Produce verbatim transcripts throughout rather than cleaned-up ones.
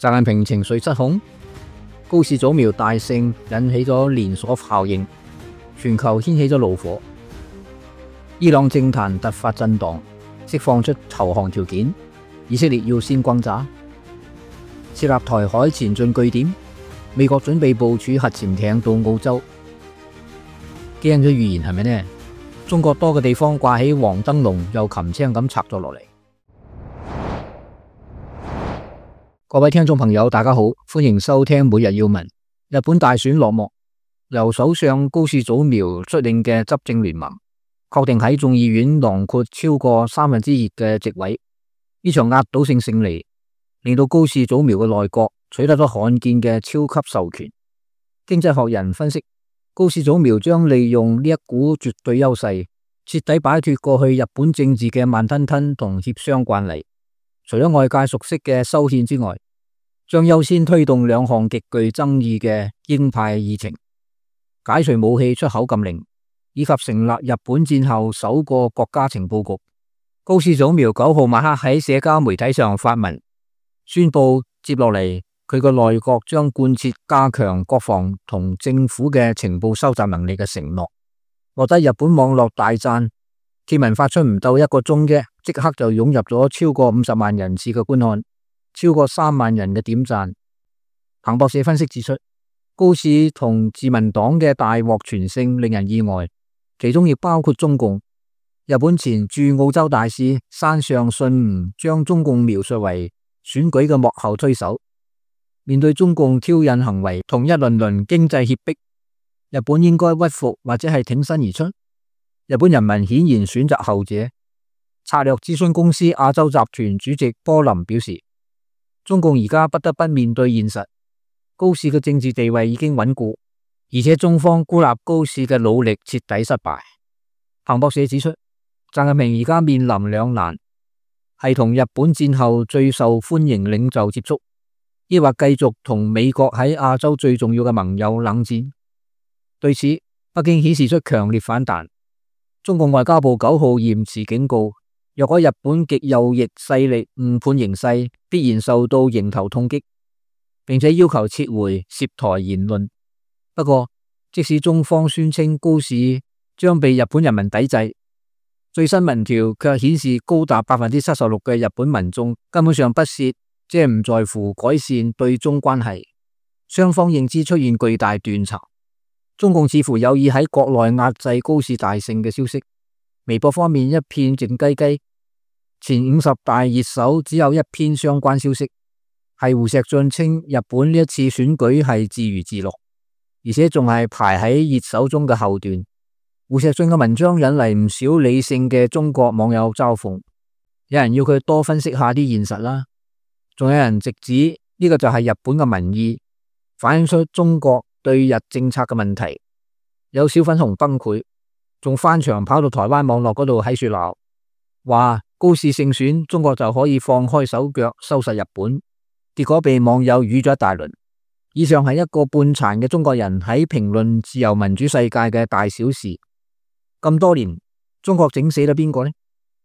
習近平情緒失控，高市早苗大勝引起咗連鎖效應，全球掀起咗怒火。伊朗政壇突發震盪，釋放出投降條件，以色列要先轟炸，設立台海前進據點，美國準備部署核潛艇到澳洲。驚人嘅預言係咪呢？中國多個地方掛起黃燈籠，又擒青咁拆咗落嚟。各位聽眾朋友，大家好，歡迎收聽每日要聞。日本大選落幕，由首相高市早苗率領嘅執政聯盟確定喺眾議院囊括超過三分之二嘅席位。呢場壓倒性勝利令到高市早苗嘅內閣取得咗罕見嘅超級授權。經濟學人分析，高市早苗將利用呢一股絕對優勢，徹底擺脫過去日本政治嘅慢吞吞同協商慣例。除咗外界熟悉嘅修憲之外，將優先推動兩項極具爭議嘅鷹派議程，解除武器出口禁令，以及成立日本戰後首個國家情報局。高市早苗九號晚黑喺社交媒體上發文，宣布接落嚟佢個內閣將貫徹加強國防同政府嘅情報收集能力嘅承諾，獲得日本網絡大讚。貼文發出唔到一個鐘啫，即刻就湧入咗超過五十萬人次嘅觀看，超過三萬人嘅點讚。彭博社分析指出，高市同自民黨嘅大獲全勝令人意外，其中亦包括中共。日本前駐澳洲大使山上信吾將中共描述為選舉嘅幕後推手。面對中共挑釁行為同一輪輪經濟脅迫，日本應該屈服或者係挺身而出。日本人民顯然選擇後者。策略諮詢公司亞洲集團主席波林表示，中共而家不得不面對現實，高市嘅政治地位已經穩固，而且中方孤立高市嘅努力徹底失敗。彭博社指出，習近平而家面臨兩難，係同日本戰後最受歡迎領袖接觸，抑或繼續同美國喺亞洲最重要嘅盟友冷戰。對此，北京顯示出強烈反彈。中共外交部九號嚴詞警告，若果日本極右翼勢力誤判形勢，必然受到迎頭痛擊，並且要求撤回涉台言論。不過，即使中方宣稱高市將被日本人民抵制，最新民調卻顯示高達百分之七十六嘅日本民眾根本上不屑，即係唔在乎改善對中關係。雙方認知出現巨大斷層。中共似乎有意喺國內壓制高市大勝嘅消息。微博方面一片靜雞雞，前五十大熱搜只有一篇相關消息，係胡錫進稱日本呢一次選舉係自娛自樂，而且仲係排喺熱搜中嘅後段。胡錫進嘅文章引嚟唔少理性嘅中國網友嘲諷，有人要佢多分析下啲現實啦，仲有人直指呢個就係日本嘅民意，反映出中國對日政策嘅問題。有小粉紅崩潰，仲翻牆跑到台灣網絡嗰度喺處鬧，話高市勝選，中國就可以放開手腳收拾日本，結果被網友語咗一大輪。以上係一個半殘嘅中國人喺評論自由民主世界嘅大小事。咁多年，中國整死咗邊個呢？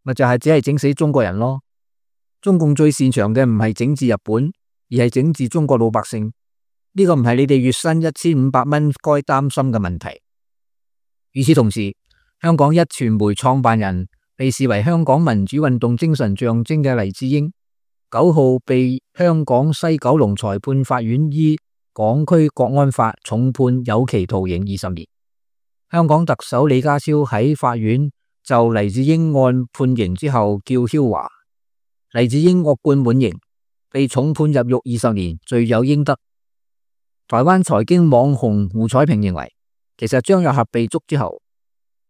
咪就係、是、只係整死中國人咯。中共最擅長嘅唔係整治日本，而係整治中國老百姓。呢個唔係你哋月薪一千五百蚊該擔心嘅問題。與此同時，香港一傳媒創辦人、被視為香港民主運動精神象徵嘅黎智英，九號被香港西九龍裁判法院依港區國安法重判有期徒刑二十年。香港特首李家超喺法院就黎智英案判刑之後叫囂話，黎智英惡貫滿盈，被重判入獄二十年，罪有應得。台灣財經網紅胡彩萍認為，其實張又俠被捉之後，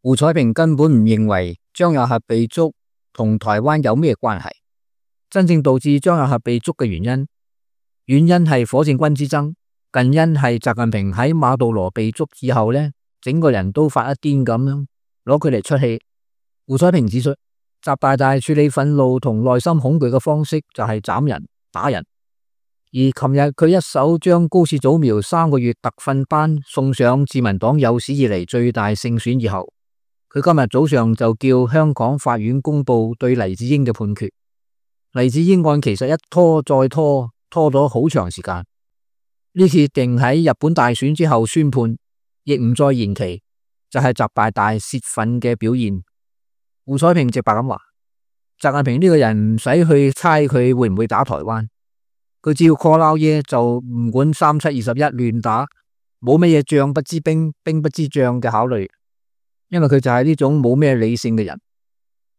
胡彩萍根本唔認為張又俠被捉同台灣有咩關係。真正導致張又俠被捉嘅原因，原因係火箭軍之爭，近因係習近平喺馬杜羅被捉以後呢，整個人都發一癲咁樣，攞佢嚟出氣。胡彩萍指出，習大大處理憤怒同內心恐懼嘅方式就係斬人打人。而琴日佢一手將高市早苗三個月特訓班送上自民黨有史以嚟最大勝選以後，佢今日早上就叫香港法院公布對黎智英嘅判決。黎智英案其實一拖再拖，拖咗好長時間。呢次定喺日本大選之後宣判，亦唔再延期，就係習大大洩憤嘅表現。胡彩萍直白咁話：習近平呢個人唔使去猜佢會唔會打台灣，佢只要 call 撈嘢就唔管三七二十一亂打，冇乜嘢將不知兵，兵不知將嘅考慮，因為佢就係呢種冇咩理性嘅人。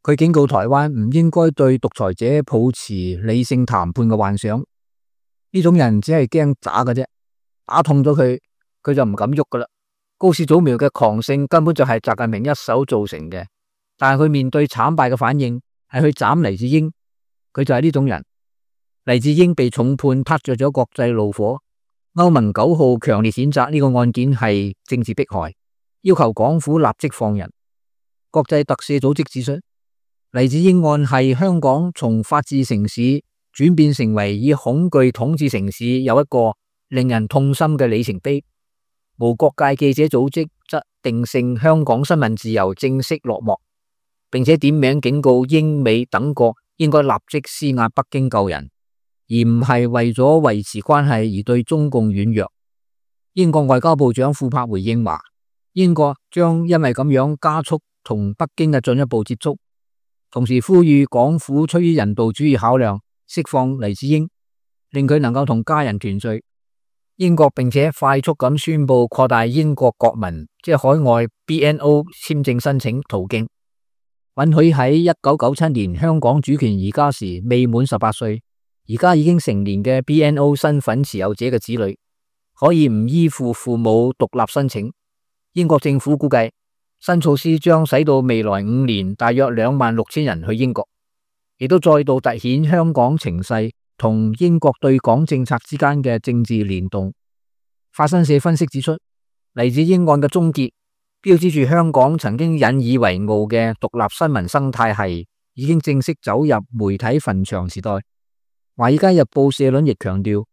佢警告台灣唔應該對獨裁者抱持理性談判嘅幻想，呢種人只係驚打嘅啫，打痛咗佢，佢就唔敢喐噶啦。高市早苗嘅狂勝根本就係習近平一手造成嘅，但係佢面對慘敗嘅反應係去斬黎智英，佢就係呢種人。黎智英被重判，撻着咗國際怒火，歐盟九號強烈譴責呢個案件係政治迫害，要求港府立即放人。國際特赦組織指出，黎智英案係香港從法治城市轉變成為以恐懼統治城市，有一個令人痛心嘅里程碑。無國界記者組織則定性香港新聞自由正式落幕，並且點名警告英美等國應該立即施壓北京救人，而唔係為咗維持關係而對中共軟弱。英國外交部長庫珀回應話，英國將因為咁樣加速同北京嘅進一步接觸，同時呼籲港府出於人道主義考量釋放黎智英，令佢能夠同家人團聚。英國並且快速咁宣布擴大英國國民即係海外 B N O 簽證申請途徑，允許喺一九九七年香港主權移交時未滿十八歲，而家已經成年嘅 B N O 身份持有者嘅子女，可以唔依附父母獨立申請。英國政府估計，新措施將使到未來五年大約兩萬六千人去英國，亦都再度凸顯香港情勢同英國對港政策之間嘅政治聯動。法新社分析指出，黎智英案嘅終結，標誌住香港曾經引以為傲嘅獨立新聞生態系已經正式走入媒體墳場時代。華爾街日報社論亦強調，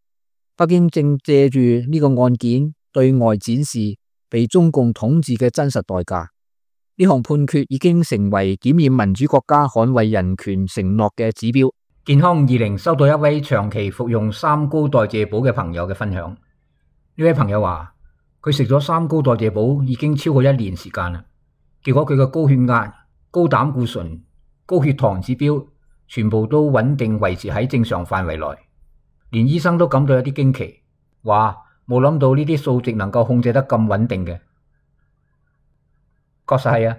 北京正借住呢個案件對外展示被中共統治嘅真實代價。呢項判決已經成為檢驗民主國家捍衛人權承諾嘅指標。健康二零收到一位長期服用三高代謝寶嘅朋友嘅分享。呢位朋友話，佢食咗三高代謝寶已經超過一年時間啦，結果佢嘅高血壓、高膽固醇、高血糖指標全部都穩定維持喺正常範圍內，連醫生都感到有啲驚奇，話冇諗到呢啲數值能夠控制得咁穩定嘅。確實係啊，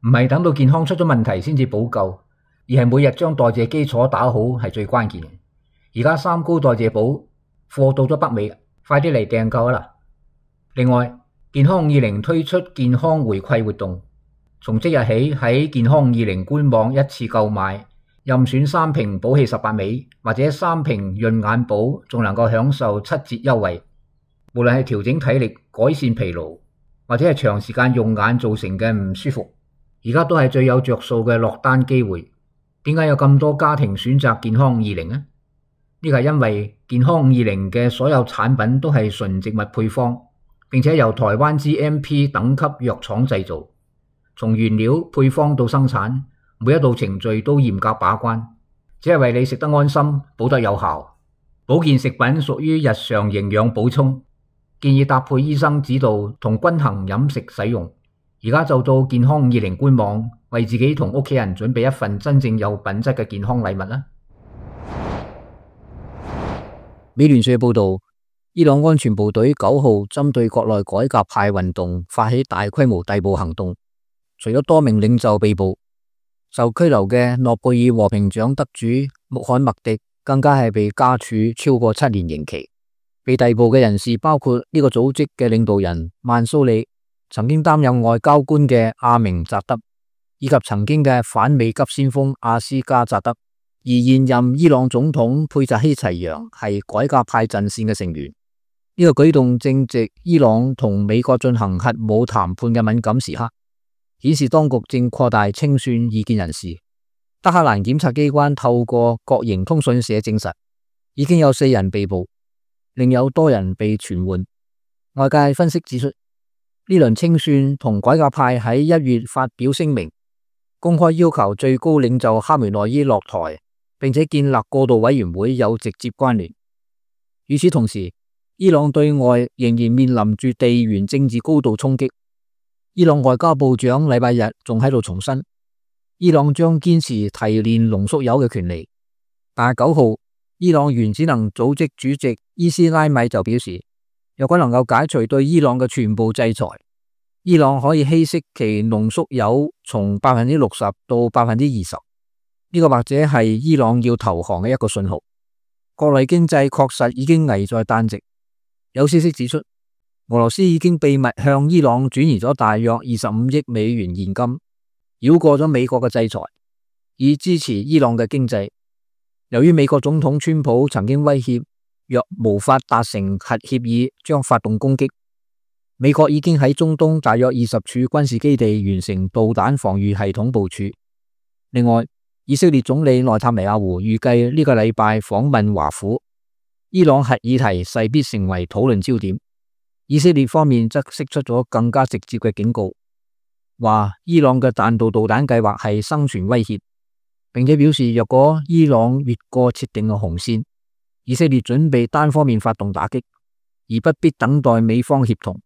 唔係等到健康出咗問題先至補救，而係每日將代謝基礎打好係最關鍵。而家三高代謝寶貨到咗北美，快啲嚟訂購啦！另外，健康二零推出健康回饋活動，從即日起喺健康二零官網一次購買，任選三瓶寶氣十八味或者三瓶潤眼寶，仲能夠享受七折優惠。無論係調整體力、改善疲勞，或者係長時間用眼造成嘅唔舒服，而家都係最有着數嘅落單機會。點解有咁多家庭選擇健康二零呢？呢個係因為健康二零嘅所有產品都係純植物配方，並且由台灣 G M P 等級藥廠製造，從原料配方到生產，每一道程序都嚴格把關，只係為你食得安心，補得有效。保健食品屬於日常營養補充，建議搭配醫生指導同均衡飲食使用。而家就到健康二零官網，為自己同屋企人準備一份真正有品質嘅健康禮物啦。美聯社報道，伊朗安全部隊九號針對國內改革派運動發起大規模逮捕行動，除咗多名領袖被捕，受拘留嘅諾貝爾和平獎得主穆罕默迪更加係被加處超過七年刑期。被逮捕嘅人士包括呢個組織嘅領導人曼蘇里，曾經擔任外交官嘅阿明扎德，以及曾經嘅反美急先鋒阿斯加扎德。而現任伊朗總統佩扎希齊揚係改革派陣線嘅成員。呢個舉動正值伊朗同美國進行核武談判嘅敏感時刻，顯示當局正擴大清算異見人士。德黑蘭檢察機關透過國營通訊社證實，已經有四人被捕，另有多人被傳喚。外界分析指出，呢輪清算同改革派喺一月發表聲明，公開要求最高領袖哈梅內伊落台，並且建立過渡委員會有直接關聯。與此同時，伊朗對外仍然面臨住地緣政治高度衝擊。伊朗外交部長禮拜日仲喺度重申，伊朗將堅持提煉濃縮鈾嘅權利。但係九號，伊朗原子能組織主席伊斯拉米就表示，若果能夠解除對伊朗嘅全部制裁，伊朗可以稀釋其濃縮鈾從百分之六十到百分之二十。呢個或者係伊朗要投降嘅一個信號。國內經濟確實已經危在旦夕。有消息指出，俄羅斯已經秘密向伊朗轉移咗大約二十五億美元現金，繞過咗美國嘅制裁，以支持伊朗嘅經濟。由於美國總統川普曾經威脅，若無法達成核協議，將發動攻擊。美國已經喺中東大約二十處軍事基地完成導彈防禦系統部署。另外，以色列總理內塔尼亞胡預計呢個禮拜訪問華府，伊朗核議題勢必成為討論焦點。以色列方面則釋出咗更加直接嘅警告，話伊朗嘅彈道導彈計劃係生存威脅，並且表示若果伊朗越過設定嘅紅線，以色列準備單方面發動打擊，而不必等待美方協同。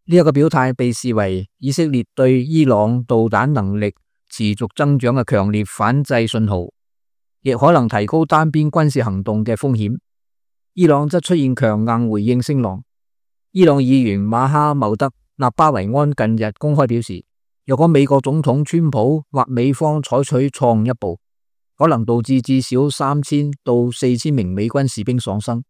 呢一個表態被視為以色列對伊朗導彈能力持續增長嘅強烈反制信號，亦可能提高單邊軍事行動嘅風險。伊朗則出現強硬回應聲浪。伊朗議員馬哈茂德納巴維安近日公開表示，若果美國總統川普或美方採取錯誤一步，可能導致至少三千到四千名美軍士兵喪生。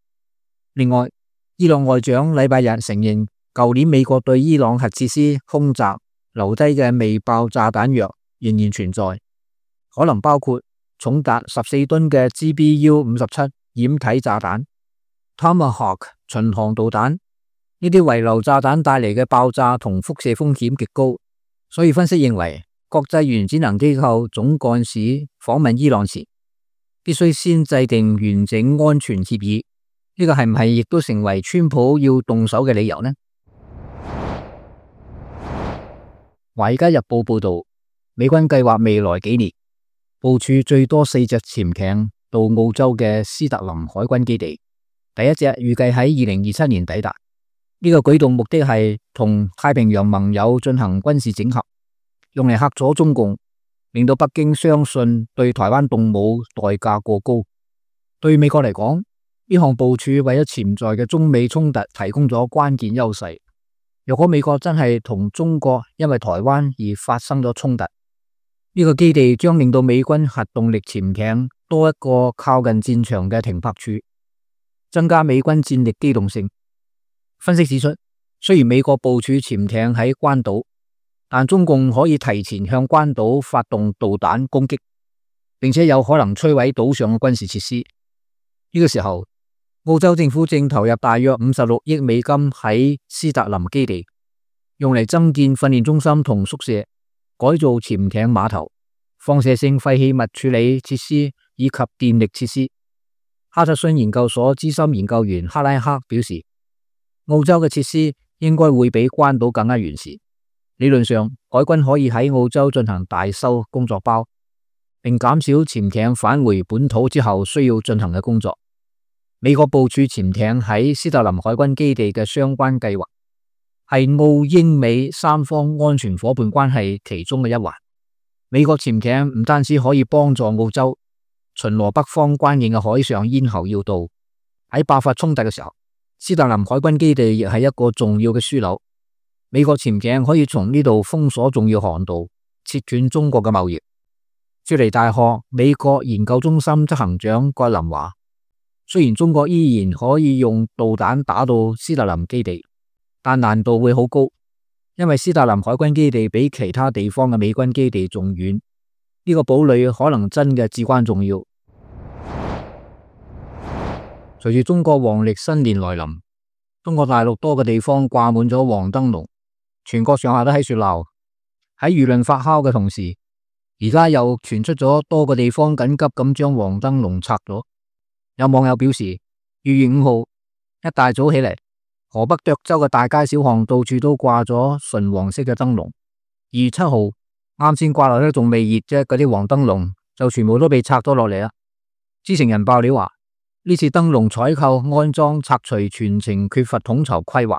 另外，伊朗外長禮拜日承認，舊年美國對伊朗核設施空襲留低嘅未爆炸彈藥仍然存在，可能包括重達十四噸嘅 G B U 五十七掩體炸彈、Tomahawk 巡航導彈。呢啲遺留炸彈帶嚟嘅爆炸同輻射風險極高，所以分析認為，國際原子能機構總幹事訪問伊朗前，必須先制定完整安全協議。呢個係唔係亦都成為川普要動手嘅理由呢？華爾街日報報道，美軍計劃未來幾年部署最多四隻潛艇到澳洲嘅斯特林海軍基地，第一隻預計喺二零二七年抵達。呢個舉動目的係同太平洋盟友進行軍事整合，用嚟嚇阻中共，令到北京相信對台灣動武代價過高。對美國嚟講，呢項部署為咗潛在嘅中美衝突提供咗關鍵優勢。若果美國真係同中國因為台灣而發生咗衝突，呢個基地將令到美軍核動力潛艇多一個靠近戰場嘅停泊處，增加美軍戰力機動性。分析指出，雖然美國部署潛艇喺關島，但中共可以提前向關島發動導彈攻擊，並且有可能摧毀島上嘅軍事設施。呢個時候，澳洲政府正投入大約五十六億美金喺斯特林基地，用嚟增建訓練中心同宿舍，改造潛艇碼頭、放射性廢棄物處理設施以及電力設施。哈特遜研究所資深研究員克拉克表示，澳洲嘅設施應該會比關島更加完善。理論上，海軍可以喺澳洲進行大修工作包，並減少潛艇返回本土之後需要進行嘅工作。美國部署潛艇喺斯特林海軍基地嘅相關計劃，係澳英美三方安全夥伴關係其中嘅一環。美國潛艇唔單止可以幫助澳洲巡邏北方關鍵嘅海上咽喉要道，喺爆發衝突嘅時候，斯特林海軍基地亦係一個重要嘅樞紐。美國潛艇可以從呢度封鎖重要航道，切斷中國嘅貿易。雪梨大學美國研究中心執行長葛林話，雖然中國依然可以用導彈打到斯特林基地，但難度會好高，因為斯特林海軍基地比其他地方嘅美軍基地仲遠。呢個堡壘可能真嘅至關重要。隨住中國黃曆新年來臨，中國大陸多個地方掛滿咗黃燈籠，全國上下都喺度鬧。喺輿論發酵嘅同時，而家又傳出咗多個地方緊急咁將黃燈籠拆咗。有網友表示，二月五號一大早起嚟，河北涿州嘅大街小巷到處都掛咗純黃色嘅燈籠。二月七號啱先掛落咧仲未熱啫，嗰啲黃燈籠就全部都被拆咗落嚟啦。知情人爆料話，呢次燈籠採購、安裝、拆除全程缺乏統籌規劃，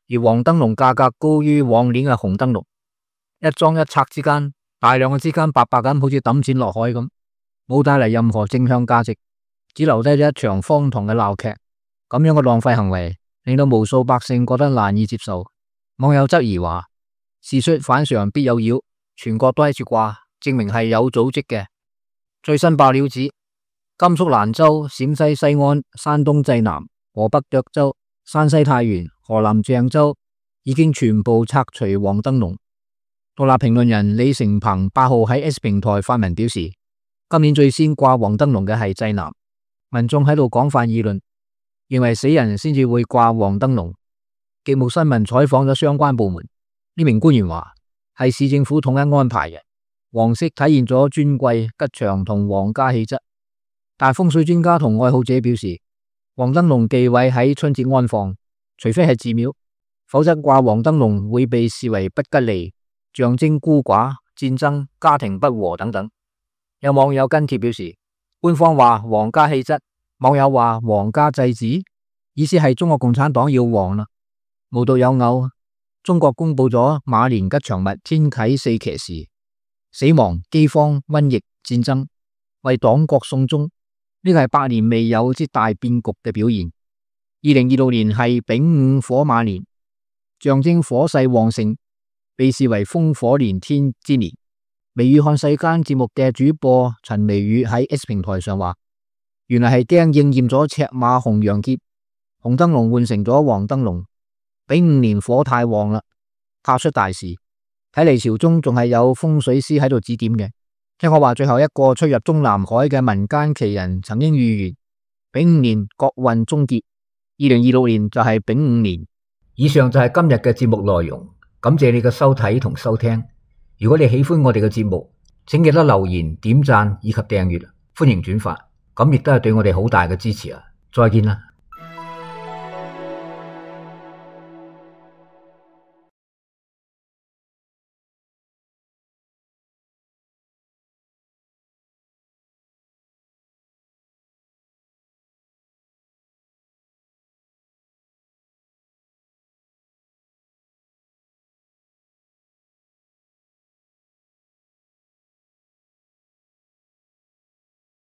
而黃燈籠價格高於往年嘅紅燈籠，一裝一拆之間，大量嘅資金白白咁好似抌錢落海咁，冇帶嚟任何正向價值，只留低咗一場荒唐嘅鬧劇。咁樣嘅浪費行為令到無數百姓覺得難以接受。網友質疑話：事出反常必有妖，全國都喺處掛，證明係有組織嘅。最新爆料指，甘肅蘭州、陝西西安、山東濟南、河北涿州、山西太原、河南鄭州已經全部拆除黃燈籠。獨立評論人李成鵬八號喺 X 平台發文表示，今年最先掛黃燈籠嘅係濟南，民眾喺度廣泛議論，認為死人先至會掛黃燈籠。極目新聞採訪咗相關部門，呢名官員話係市政府統一安排嘅，黃色體現咗尊貴、吉祥同皇家氣質。但風水專家同愛好者表示，黃燈籠忌諱喺春節安放，除非係寺廟，否則掛黃燈籠會被視為不吉利，象徵孤寡、戰爭、家庭不和等等。有網友跟帖表示，官方話皇家氣質，網友話皇家祭祀，意思係中國共產黨要黃啦。無獨有偶，中國公布咗馬年吉祥物天啟四騎士，死亡、饑荒、瘟疫、戰爭，為黨國送終。呢個係百年未有之大變局嘅表現。二零二六年係丙午火馬年，象徵火勢旺盛，被視為烽火連天之年。微雨看世間節目嘅主播陳微雨喺 X 平台上話，原來係釘應驗咗赤馬紅羊劫，紅燈籠換成咗黃燈籠。丙午年火太旺啦，怕出大事。睇嚟朝中仲係有風水師喺度指點嘅。聽我話，最後一個出入中南海嘅民間奇人曾經預言丙午年國運終結，二零二六年就係丙午年。以上就係今日嘅節目內容，感謝你嘅收睇同收聽。如果你喜歡我哋嘅節目，請記得留言、點讚以及訂閱，歡迎轉發，咁亦都係對我哋好大嘅支持啊！再見啦。